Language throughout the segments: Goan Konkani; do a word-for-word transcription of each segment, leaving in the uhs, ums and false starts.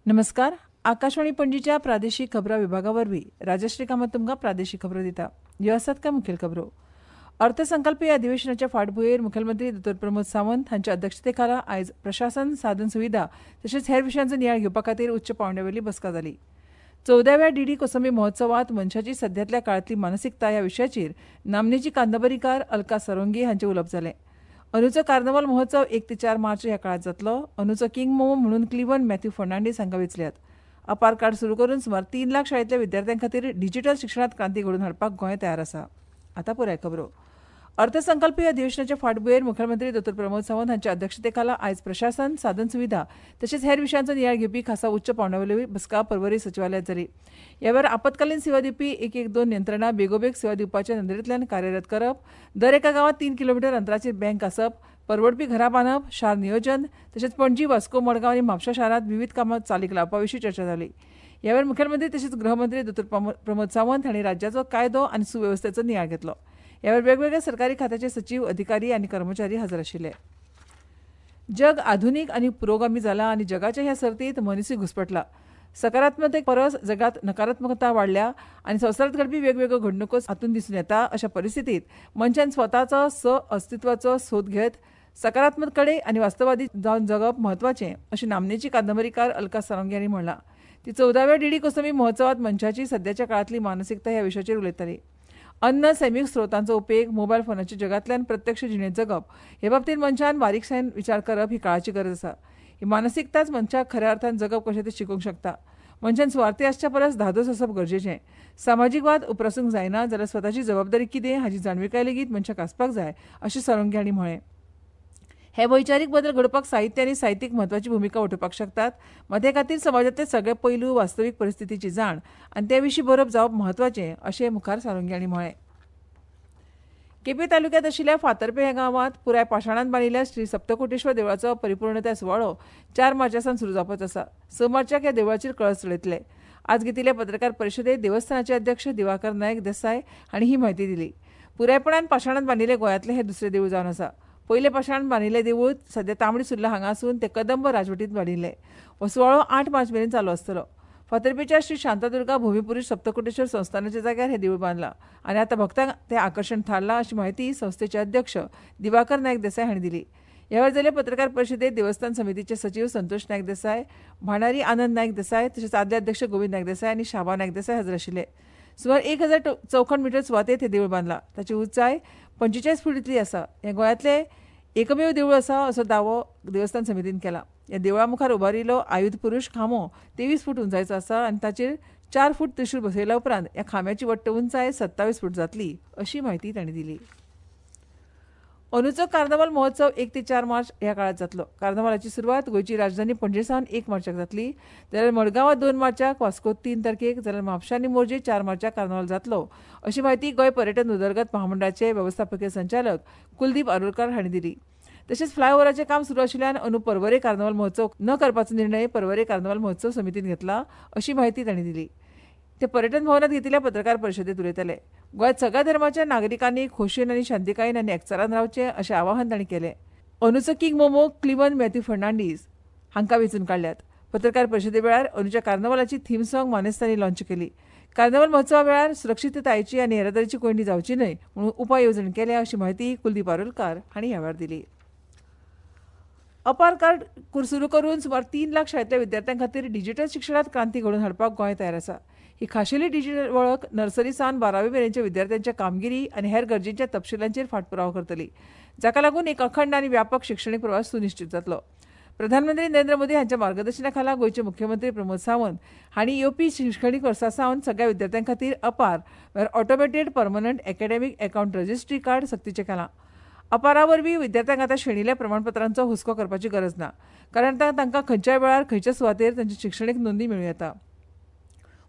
नमस्कार. आकाशवाणी पणजीच्या प्रादेशीक खबरां विभागा वरवीं राजश्री कामत तुमकां प्रादेशीक खबरो दिता. ह्यो आसात कांय मुखेल खबरो. अर्थसंकल्पीय अधिवेशनाच्या फाटभुंयेर मुखेलमंत्री दोतोर प्रमोद सावंत हांच्या अध्यक्षतेखाला आयज प्रशासन, साधन सुविधा तशेंच हेर विशयांचो नियाळ घेवपा खातीर उच्च पांवड्यावेली बसका जाली. चवदाव्या डी डी कोसंबी महोत्सवांत मनशाची सध्यातल्या काळांतली मानसिकता ह्या विशयाचेर नामनेची कादंबरीकार अलका सारोंगी हांचें उलोवप जालें. अंदूचो कार्नवाल महोत्सव एक ते चार मार्च ह्या काळांत जातलो. अंदूचो किंग मोमो म्हणून क्लिवन मॅथ्यू फर्नांडीस हांकां वेंचल्यात. अपार कार्ड सुरू करून सुमार तीन लाख शाळेंतल्या विद्यार्थ्यां खातीर डिजिटल शिक्षणांत क्रांती घडोवन हाडपाक गोंय तयार आसा. आतां पुराय खबरो. अर्थसंकल्पीय अधिवेशनाच्या फाटभुंयेर मुखेलमंत्री दोतोर प्रमोद सावंत हांच्या अध्यक्षतेखाला आयज प्रशासन, साधन सुविधा तशेंच हेर विशयांचो नियाळ घेवपी खासा उच्च पांवड्यावेली बसका पर्वरी सचिवालयांत जाली. ह्या वेळार आपत्कालीन सेवा दिवपी एक एक दोन यंत्रणा बेगोबेग सेवा दिवपाच्या नदरेंतल्यान कार्यरत करप, दर एका गांवांत तीन किलोमिटर अंतराचेर बँक आसप, परवडपी घरां बांदप, शार नियोजन तशेंच पणजी, वास्को, मडगांव आनी म्हापशा शारांत विवीध कामां चालीक लावपा विशीं चर्चा जाली. ह्या वेळार मुखेलमंत्री तशेंच गृहमंत्री दोतोर प्रमोद सावंत हांणी राज्याचो कायदो आनी सुवेवस्थेचो नियाळ घेतलो. ह्या वेळार वेगवेगळ्या सरकारी खात्याचे सचीव, अधिकारी आनी कर्मचारी हजर आशिल्ले. जग आधुनीक आनी पुरोगामी जाला आनी जगाच्या ह्या सर्तींत मनिसूय घुस्पटला. सकारात्मकते परस जगांत नकारात्मकता वाडल्या आनी संवसारांत घडपी वेगवेगळ्यो घडणुको हातूंत दिसून येता. अशा परिस्थितींत मनशान स्वताचो स अस्तित्वाचो सोद घेत सकारात्मक कडेन आनी वास्तववादी जावन जगप म्हत्वाचें अशें नामनेची कादंबरीकार अलका सारोंगी हांणी म्हणलां. ती चवदाव्या डी डी कोसंबी महोत्सवांत मनशाची सध्याच्या काळांतली मानसिकता ह्या विशयाचेर उलयताली. अन्न, सैमीक स्रोतांचो उपेग, मोबायल फोनाच्या जगांतल्यान प्रत्यक्ष जिणेंत जगप हे बाबतींत मनशान बारीकसाणेन विचार करप ही काळाची गरज आसा. ही मानसिकताच मनशाक खऱ्या अर्थान जगप कशें तें शिकोवंक शकता. मनशान सुवार्थी आसच्या परस धादोस आसप गरजेचें. सामाजीक वाद उप्रासूंक जायना जाल्यार स्वताची जबाबदारी कितें हाची जाणविकाय लेगीत मनशाक आसपाक जाय अशें सारोंगी हांणी म्हळें. हे वैचारीक बदल घडोवपाक साहित्य आनी साहित्यीक म्हत्वाची भुमिका वठोवपाक शकतात. मात हे खातीर समाजांतले सगळे पैलू, वास्तवीक परिस्थितीची जाण आनी ते विशीं बरोवप जावप म्हत्वाचें अशें मुखार सारोंगी हांणी म्हळें. केपें तालुक्यांत आशिल्ल्या फातर्पें ह्या गांवांत पुराय पाशाणांत बांदिल्ल्या श्री सप्तकोटेश्वर देवळाचो परिपूर्णताय सुवाळो चार मार्चा सावन सुरू जावपाचो आसा. स मार्चाक ह्या देवळाचेर कळस चडयतले. आज घेतिल्ले पत्रकार परिशदेंत देवस्थानाचे अध्यक्ष दिवाकर नायक देसाय हांणी ही म्हायती दिली. पुरायपणान पाशाणांत बांदिल्लें गोंयांतलें हें दुसरें देवूळ जावन आसा. पयलें पाशाण बांदिल्लें देवूळ सध्या तांबडी सुर्ला हांगा आसून तें कदंब राजवटींत बांदिल्लें. हो सुवाळो आठ मार्च मेरेन चालू आसतलो. फातर्पेच्या श्री शांतादुर्गा भूमिपुरूष सप्तकोटेश्वर संस्थानाच्या जाग्यार हें देवूळ बांदलां आनी आतां भक्तांक तें आकर्शण थारलां अशी म्हायती संस्थेचे अध्यक्ष दिवाकर नायक देसाय हांणी दिली. ह्या वेळार जाल्ले पत्रकार परिशदेंत देवस्थान समितीचे सचीव संतोष नायक देसाय, भांडारी आनंद नायक देसाय तशेंच आदले अध्यक्ष गोविंद नायक देसाय आनी शाबा नायक देसाय हजर आशिल्ले. सुमार एक हजार चौखण मिटर सुवातेंत हें देवूळ बांदलां. ताची उंचाय पंचेचाळीस फूट इतली आसा. हें गोंयांतलें एकमेव देवूळ आसा असो दावो देवस्थान समितीन केला. ह्या देवळा मुखार उबारिल्लो आयुध पुरूष खांबो तेवीस फूट उंचायेचो आसा आनी ताचेर चार फूट त्रिशूल बसयल्या उपरांत ह्या खांब्याची वट्ट उंचाय सत्तावीस फूट जातली अशी म्हायती तांणी दिली. अंदूचो कार्नवाल महोत्सव एक ते चार मार्च ह्या काळांत जातलो. कार्नवालाची सुरवात गोंयची राजधानी पणजे सावन एक मार्चाक जातली, जाल्यार मडगांवां दोन मार्चाक, वास्को तीन तारखेक, जाल्यार म्हापशा आनी मोरजे चार मार्चाक कार्नवाल जातलो अशी म्हायती गोंय पर्यटन उदरगत महामंडळाचे वेवस्थापकीय संचालक कुलदीप आरोलकार हांणी दिली. तशेंच फ्लायओव्हराचें काम सुरू आशिल्ल्यान अंदू पर्वरे कार्नवाल महोत्सव न करपाचो निर्णय पर्वरे कार्नवाल महोत्सव समितीन घेतला अशी म्हायती तांणी दिली. ते पर्यटन भवनात घेतिल्ल्या पत्रकार परिशदेंत उलयताले. गोंयांत सगळ्या धर्माच्या नागरिकांनी खोशयेन आनी शांतिकायेन आनी एकचारान रावचें अशें आवाहन तांणी केलें. अंदूचो किंग मोमो क्लिवन मॅथ्यू फर्नांडीस हांकां वेंचून काडल्यात. पत्रकार परिशदे वेळार अंदूच्या कार्नवालाची थीम सॉंग मानेस्तांनी लॉन्च केली. कार्नवाल महोत्सवा वेळार सुरक्षिततायेची आनी येरादारीची कोंयडी जावची न्हय म्हणून उपाय येवजण केल्या अशी म्हायती कुलदीप आरोलकार हांणी ह्या वेळार दिली. अपार कार्ड सुरू करून सुमार तीन लाख शाळेंतल्या विद्यार्थ्यां खातीर डिजिटल शिक्षणांत क्रांती घडोवन हाडपाक गोंय तयार आसा. ही खाशेली डिजिटल वळख नर्सरी सावन बारावी मेरेनच्या विद्यार्थ्यांच्या कामगिरी आनी हेर गरजेच्या तपशिलांचेर फाटपुरावो करतली, जाका लागून एक अखंड आनी व्यापक शिक्षणीक प्रवास सुनिश्चित जातलो. प्रधानमंत्री नरेंद्र मोदी हांच्या मार्गदर्शना खाला गोंयचे मुख्यमंत्री प्रमोद सावंत हांणी येवपी शिक्षणीक वर्सा सावन सगळ्या विद्यार्थ्यां खातीर अपार म्हळ्यार automated permanent academic account registry card सक्तीचें केलां. अपारा वरवीं विद्यार्थ्यांक आतां श्रेणील्या प्रमाणपत्रांचो हुस्को करपाची गरज ना, कारण तांकां खंयच्याय वेळार खंयच्या सुवातेर तांची शिक्षणीक नोंदणी मेळूं येता.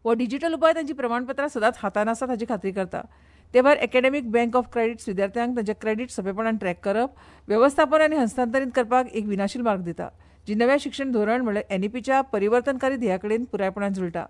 हो डिजिटल उपाय तांची प्रमाणपत्रां सदांच हातांत आसात हाची खात्री करता. ते भायर एकेडमीक बँक ऑफ क्रेडिट्स विद्यार्थ्यांक तांचे क्रेडिट सोंपेपणान ट्रॅक करप, वेवस्थापन आनी हस्तांतरीत करपाक एक विनाशील मार्ग दिता, जी नव्या शिक्षण धोरण म्हणल्यार एनईपीच्या परिवर्तनकारी ध्येया कडेन पुरायपणान जुळटा.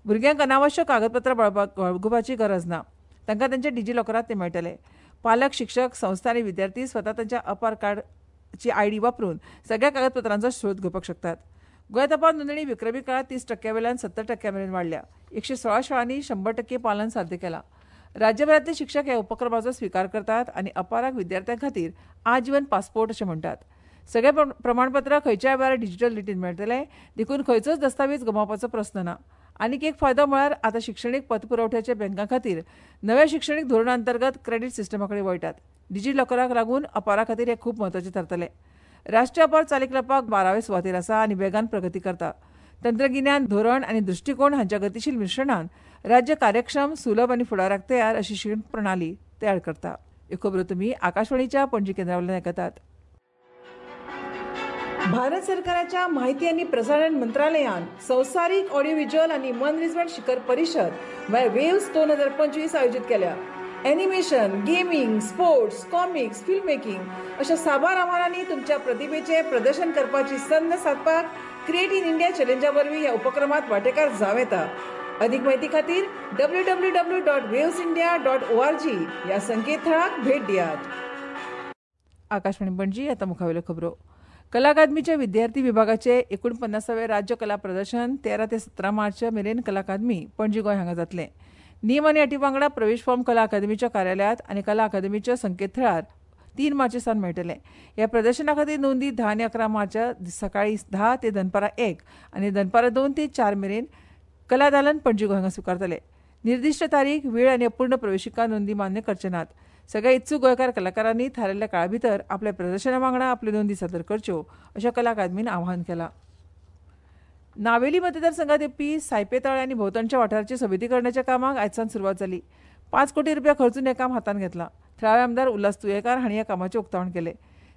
भुरग्यांक अनावश्यक कागदपत्रां बाळगुपाची गरज ना, तांकां तांच्या डिजिलॉकरांत ते मेळटले. पालक, शिक्षक, संस्था आनी विद्यार्थी स्वता तांच्या अपार कार्डची आयडी वापरून सगळ्या कागदपत्रांचो शोध घेवपाक शकतात. गोंयांत अपार नोंदणी विक्रमी काळांत तीस टक्क्या वेल्यान सत्तर टक्क्या मेरेन वाडल्या. एकशे सोळा शाळांनी शंबर टक्के पालन साध्य केलां. राज्यभरांतले शिक्षक ह्या उपक्रमाचो स्विकार करतात आनी अपाराक विद्यार्थ्यां खातीर आजीवन पासपोर्ट अशें म्हणटात. सगळे प्रमाणपत्रां खंयच्याय वेळार डिजिटल रितीन मेळटले, देखून खंयचोच दस्तावेज गमावपाचो प्रस्न ना. आनीक एक फायदो म्हळ्यार आतां शिक्षणीक पतपुरवठ्याच्या बँकां खातीर नव्या शिक्षणीक धोरणा अंतर्गत क्रेडीट सिस्टमा कडेन वळटात. डिजी लॉकराक लागून अपारा खातीर हें खूब म्हत्वाचें थारतलें. राष्ट्रीय अपार चालीक लावपाक बारावे सुवातेर आसा आनी वेगान प्रगती करता. तंत्रगिन्यान, धोरण आनी दृश्टीकोण हांच्या गतीशील मिश्रणान राज्य कार्यक्षम, सुलभ आनी फुडाराक तयार अशी शिक्षण प्रणाली तयार करता. ह्यो खबरो तुमी आकाशवाणीच्या पणजी केंद्रा वयल्यान आयकतात. भारत सरकाराच्या माहिती आनी प्रसारण मंत्रालयान संवसारीक ऑडियो व्हिज्युअल आनी मनरिजवण शिखर परिशद म्हळ्यार वेव्स दोन हजार पंचवीस आयोजीत केल्या. Animation, gaming, sports, comics, film making अशा साबार आव्हानांनी तुमच्या प्रतिभेचें प्रदर्शन करपाची संद सादपाक क्रिएट इन इंडिया चॅलेंजा वरवीं ह्या उपक्रमांत वांटेकार जावं येता. अदीक म्हायती खातीर W W W dot waves India dot O R G ह्या संकेतथळाक भेट दियात. आकाशवाणी पणजी. आतां मुखावेल्यो खबरो. कला अकादमीच्या विद्यार्थी विभागाचे एकुणपन्नासावे राज्य कला प्रदर्शन तेरा ते सतरा मार्च मेरेन कला अकादमी पणजी गोंय हांगा जातलें. नियम आनी अटी वांगडा प्रवेश फॉर्म कला अकादमीच्या कार्यालयांत आनी कला अकादमीच्या संकेतथळार तीन मार्च सावन मेळटले. ह्या प्रदर्शना खातीर नोंदी धा आनी अकरा मार्च सकाळीं धा ते दनपारां एक आनी दनपारां दोन ते चार मेरेन कला दालन पणजी गोंय हांगा स्विकारतले. निर्दिश्ट तारीख, वेळ आनी अपूर्ण प्रवेशिका नोंदी मान्य करचे नात. सगळ्या इत्सूक गोंयकार कलाकारांनी थारायल्ल्या काळा भितर आपल्या प्रदर्शना वांगडा आपल्यो नोंदी सादर करच्यो अशें कला अकादमीन आवाहन केलां. नावेली मतदारसंघात येवपी सायपे तळे आनी भोंवतणच्या वाठाराची सोबितीकरणाच्या कामाक आयज सावन सुरवात जाली. पांच कोटी रुपया खर्चून हें काम हातांत घेतलां. थळावे आमदार उल्हास तुयेकार हांणी ह्या कामाचें उक्तावण केलें.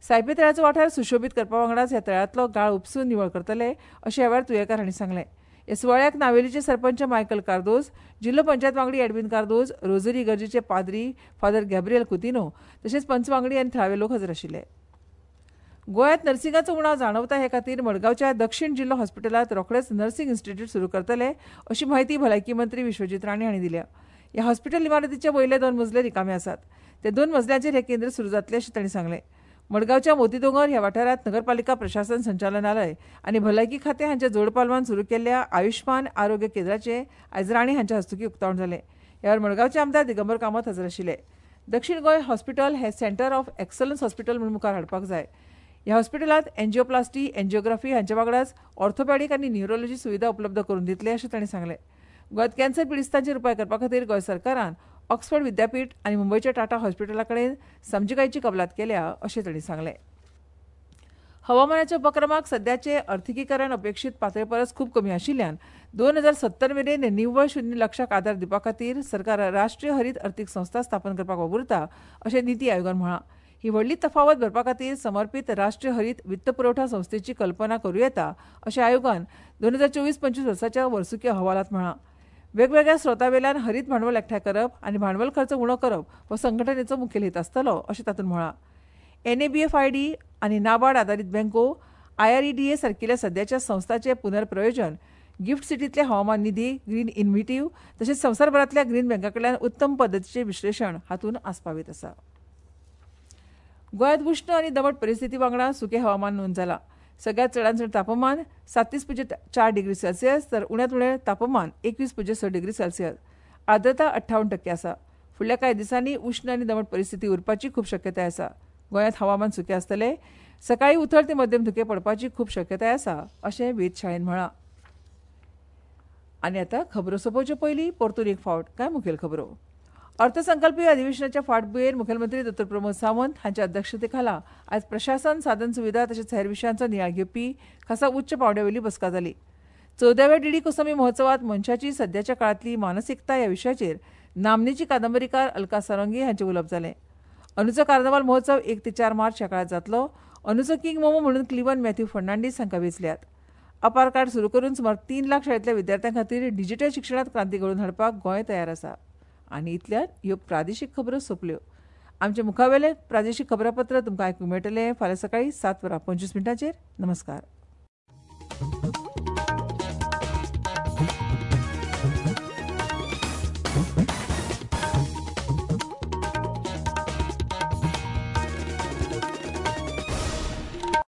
सायपे तळ्याचो वाठार सुशोबीत करपा वांगडाच ह्या तळ्यांतलो गाळ उपसून निवळ करतले अशें ह्या वेळार तुयेकार हांणी सांगलें. ह्या सुवाळ्याक नावेलीचे सरपंच मायकल कार्दोज, जिल्लो पंचायत वांगडी एडविन कार्दोज, रोजरी इगर्जेचे पाद्री फादर गॅब्रियल कुतिनो तशेंच पंच वांगडी आनी थळावे लोक हजर आशिल्ले. गोंयांत नर्सिंगाचो उणाव जाणवता हे खातीर मडगांवच्या दक्षिण जिल्लो हॉस्पिटलांत रोखडेच नर्सिंग इन्स्टिट्यूट सुरू करतले अशी म्हायती भलायकी मंत्री विश्वजीत राणे हांणी दिल्या. ह्या हॉस्पिटल इमारतीचे वयले दोन मजले रिकामे आसात. ते दोन मजल्यांचेर हें केंद्र सुरू जातलें अशें तांणी सांगलें. मडगांवच्या मोतीदोंगर ह्या वाठारांत नगरपालिका प्रशासन संचालनालय आनी भलायकी खातें हांच्या जोडपालवान सुरू केल्ल्या आयुष्मान आरोग्य केंद्राचें आयज राणे हांच्या हस्तुकीं उक्तावण जालें. ह्या वेळार मडगांवचे आमदार दिगंबर कामत हजर आशिल्ले. दक्षिण गोंय हॉस्पिटल हें सेंटर ऑफ एक्सलन्स हॉस्पिटल म्हूण मुखार हाडपाक जाय. ह्या हॉस्पिटलांत एन्जिओप्लास्टी, एन्जिओग्राफी हांच्या वांगडाच ऑर्थोपॅडीक आनी न्युरोलॉजी सुविधा उपलब्ध करून दितले अशें तांणी सांगलें. गोंयांत कॅन्सर पिडिस्तांचेर उपाय करपा खातीर गोंय सरकारान ऑक्सफर्ड विद्यापीठ आनी मुंबयच्या टाटा हॉस्पिटला कडेन समजिकायेची कबलात केल्या अशें तांणी सांगलें. हवामानाच्या उपक्रमाक सद्याचें अर्थिकीकरण अपेक्षीत पातळे परस खूब कमी आशिल्ल्यान दोन हजार सत्तर मेरेन निव्वळ शुन्य लक्षाक आदार दिवपा खातीर सरकार राष्ट्रीय हरीत अर्थीक संस्था स्थापन करपाक वावुरता अशें निती आयोगान म्हळां. ही व्हडली तफावत भरपा खातीर समर्पीत राष्ट्रीय हरीत वित्तपुरवठा संस्थेची कल्पना करूं येता अशें आयोगान दोन हजार चोवीस पंचवीस वर्साच्या वर्सुकी अहवालांत म्हळां. वेगवेगळ्या स्रोतावेल्यान हरीत भांडवल एकठांय करप आनी भांडवल खर्च उणो करप हो संघटनेचो मुखेल हेत आसतलो अशें तातूंत म्हळां. N A B F I D आनी नाबार्ड आदारीत बँको, I R E D A सारकिल्या सद्याच्या संस्थांचें पुनर्प्रयोजन, गिफ्ट सिटींतले हवामान निधी, ग्रीन इन्व्हिटीव तशेंच संवसारभरांतल्या ग्रीन बँकां कडल्यान उत्तम पद्दतीचें विश्लेशण हातूंत आस्पावीत आसा. गोंयांत उश्ण आनी दमट परिस्थिती वांगडा सुकें हवामान नोंद जालां. सगळ्यांत चडांत चड तापमान साततीस पुज्य चार डिग्री सेल्सियस तर उण्यांत उणें तापमान एकवीस पुज्य स डिग्री सेल्सियस. आर्द्रता अठ्ठावन्न टक्के आसा. फुडल्या कांय दिसांनी उश्ण आनी दमट परिस्थिती उरपाची खूब शक्यताय आसा. गोंयांत हवामान सुकें आसतलें. सकाळीं उथळ ते मध्यम धुकें पडपाची खूब शक्यताय आसा अशें वेधशाळेन म्हळां. आनी आतां खबरो सोंपोवचे पयलीं परतून एक फावट कांय मुखेल खबरो. अर्थसंकल्पीय अधिवेशनाच्या फाटभुंयेर मुखेलमंत्री दोतोर प्रमोद सावंत हांच्या अध्यक्षतेखाला आयज प्रशासन, साधन सुविधा तशेंच हेर विशयांचो नियाळ घेवपी खासा उच्च पांवड्यावेली बसका जाली. चवदाव्या डीडी कोसमी महोत्सवात मनशाची सद्याच्या काळांतली मानसिकता ह्या विशयाचेर नामनेची कादंबरीकार अलका सारंगी हांचें उलोवप जालें. अंदूचो कार्नावाल महोत्सव एक ते चार मार्च ह्या काळांत जातलो. अंदूचो किंग मोमो म्हणून क्लिवन मॅथ्यू फर्नांडीस हांकां वेंचल्यात. अपार कार्ड सुरू करून सुमार तीन लाख शाळेंतल्या विद्यार्थ्यां खातीर डिजिटल शिक्षणांत क्रांती घडोवन हाडपाक गोंय तयार आसा. आनी इतल्यान ह्यो प्रादेशीक खबरो सोंपल्यो. आमचे मुखावेलें प्रादेशीक खबरापत्र तुमकां आयकूंक मेळटलें फाल्यां सकाळीं सात वरां पंचवीस मिनटांचेर. नमस्कार.